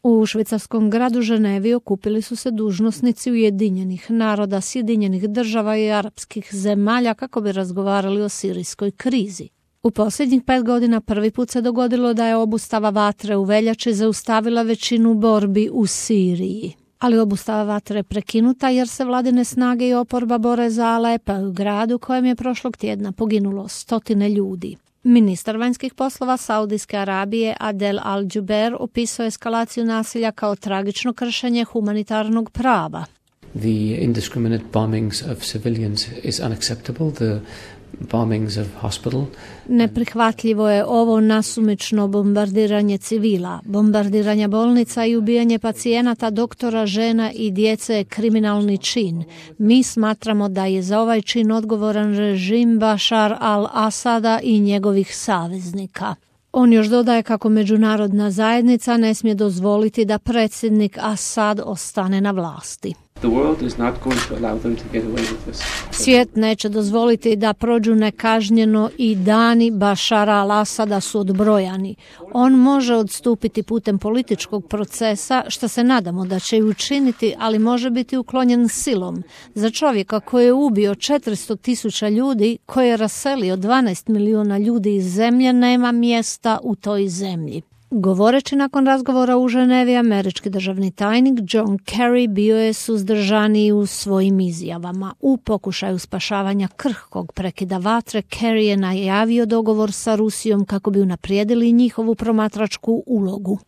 U švicarskom gradu Ženevi okupili su se dužnosnici Ujedinjenih naroda, Sjedinjenih država i arapskih zemalja kako bi razgovarali o sirijskoj krizi. U posljednjih 5 godina prvi put se dogodilo da je obustava vatre u veljači zaustavila većinu borbi u Siriji. Ali obustava vatre je prekinuta jer se vladine snage i oporba bore za Alepa, u gradu kojem je prošlog tjedna poginulo 100 ljudi. Ministar vanjskih poslova Saudijske Arabije Adel Al-Jubeir opisao eskalaciju nasilja kao tragično kršenje humanitarnog prava. The indiscriminate bombings of civilians is unacceptable. The bombings of hospital. Neprihvatljivo je ovo nasumično bombardiranje civila, bombardiranje bolnica i ubijanje pacijenata, doktora, žena i djece je kriminalni čin. Mi smatramo da je za ovaj čin odgovoran režim Bashar al-Asada i njegovih saveznika. On još dodaje kako međunarodna zajednica ne smije dozvoliti da predsjednik Asad ostane na vlasti. Svijet neće dozvoliti da prođu nekažnjeno i dani Bashara al-Asada su odbrojani. On može odstupiti putem političkog procesa, što se nadamo da će i učiniti, ali može biti uklonjen silom. Za čovjeka koji je ubio 400.000 ljudi, koji je raselio 12 milijuna ljudi iz zemlje, nema mjesta u toj zemlji. Govoreći nakon razgovora u Ženevi, američki državni tajnik John Kerry bio je suzdržaniji u svojim izjavama. U pokušaju spašavanja krhkog prekida vatre, Kerry je najavio dogovor sa Rusijom kako bi unaprijedili njihovu promatračku ulogu.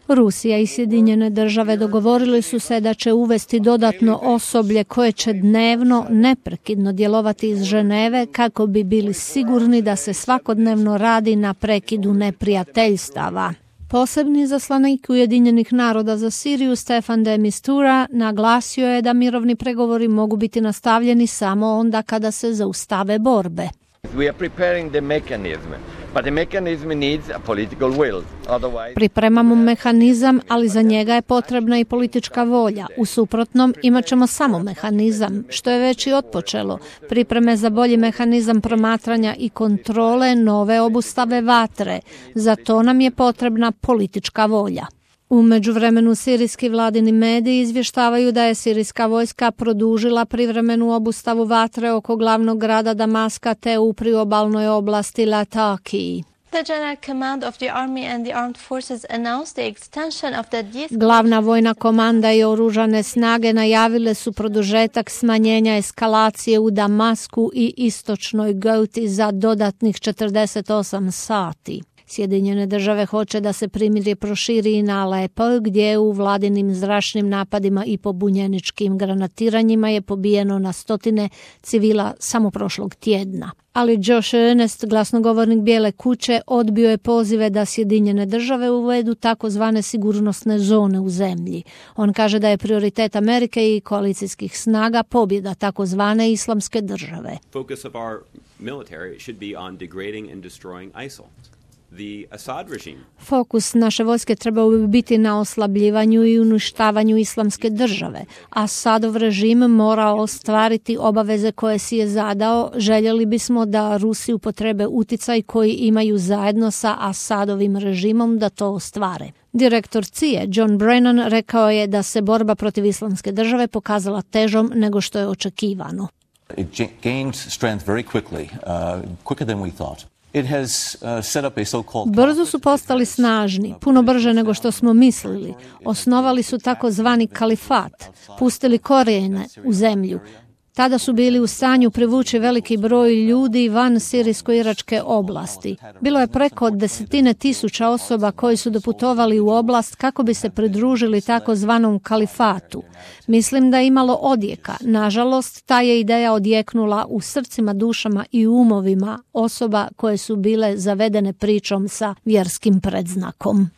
Rusija i Sjedinjene države dogovorili su se da će uvesti dodatno osoblje koje će dnevno neprekidno djelovati iz Ženeve kako bi bili sigurni da se svakodnevno radi na prekidu neprijateljstava. Posebni izaslanik Ujedinjenih naroda za Siriju Staffan de Mistura naglasio je da mirovni pregovori mogu biti nastavljeni samo onda kada se zaustave borbe. We are preparing the mechanism. But the mechanism needs a political will. Otherwise... Pripremamo mehanizam, ali za njega je potrebna i politička volja. U suprotnom imat ćemo samo mehanizam, što je već i otpočelo. Pripreme za bolji mehanizam promatranja i kontrole nove obustave vatre. Za to nam je potrebna politička volja. U međuvremenu sirijski vladini mediji izvještavaju da je sirijska vojska produžila privremenu obustavu vatre oko glavnog grada Damaska te u priobalnoj oblasti Latakiji. Glavna vojna komanda i oružane snage najavile su produžetak smanjenja eskalacije u Damasku i istočnoj Gouti za dodatnih 48 sati. Sjedinjene države hoće da se primirje proširi i na Alepo, gdje u vladinim zračnim napadima i pobunjeničkim granatiranjima je pobijeno na 100 civila samo prošlog tjedna. Ali Josh Earnest, glasnogovornik Bijele kuće, odbio je pozive da Sjedinjene države uvedu takozvane sigurnosne zone u zemlji. On kaže da je prioritet Amerike i koalicijskih snaga pobjeda takozvane islamske države. Focus of our military should be on degrading and destroying ISIL. Fokus naše vojske trebao bi biti na oslabljivanju i uništavanju islamske države. Asadov režim mora ostvariti obaveze koje si je zadao. Željeli bismo da Rusi upotrebe uticaj koji imaju zajedno sa Asadovim režimom da to ostvare. Direktor CIA John Brennan rekao je da se borba protiv islamske države pokazala težom nego što je očekivano. It gained strength very quickly, quicker than we thought. Brzo su postali snažni, puno brže nego što smo mislili. Osnovali su takozvani kalifat, pustili korijene u zemlju. Tada su bili u stanju privući veliki broj ljudi van sirijsko-iračke oblasti. Bilo je preko 10.000 osoba koji su doputovali u oblast kako bi se pridružili takozvanom kalifatu. Mislim da je imalo odjeka. Nažalost, ta je ideja odjeknula u srcima, dušama i umovima osoba koje su bile zavedene pričom sa vjerskim predznakom.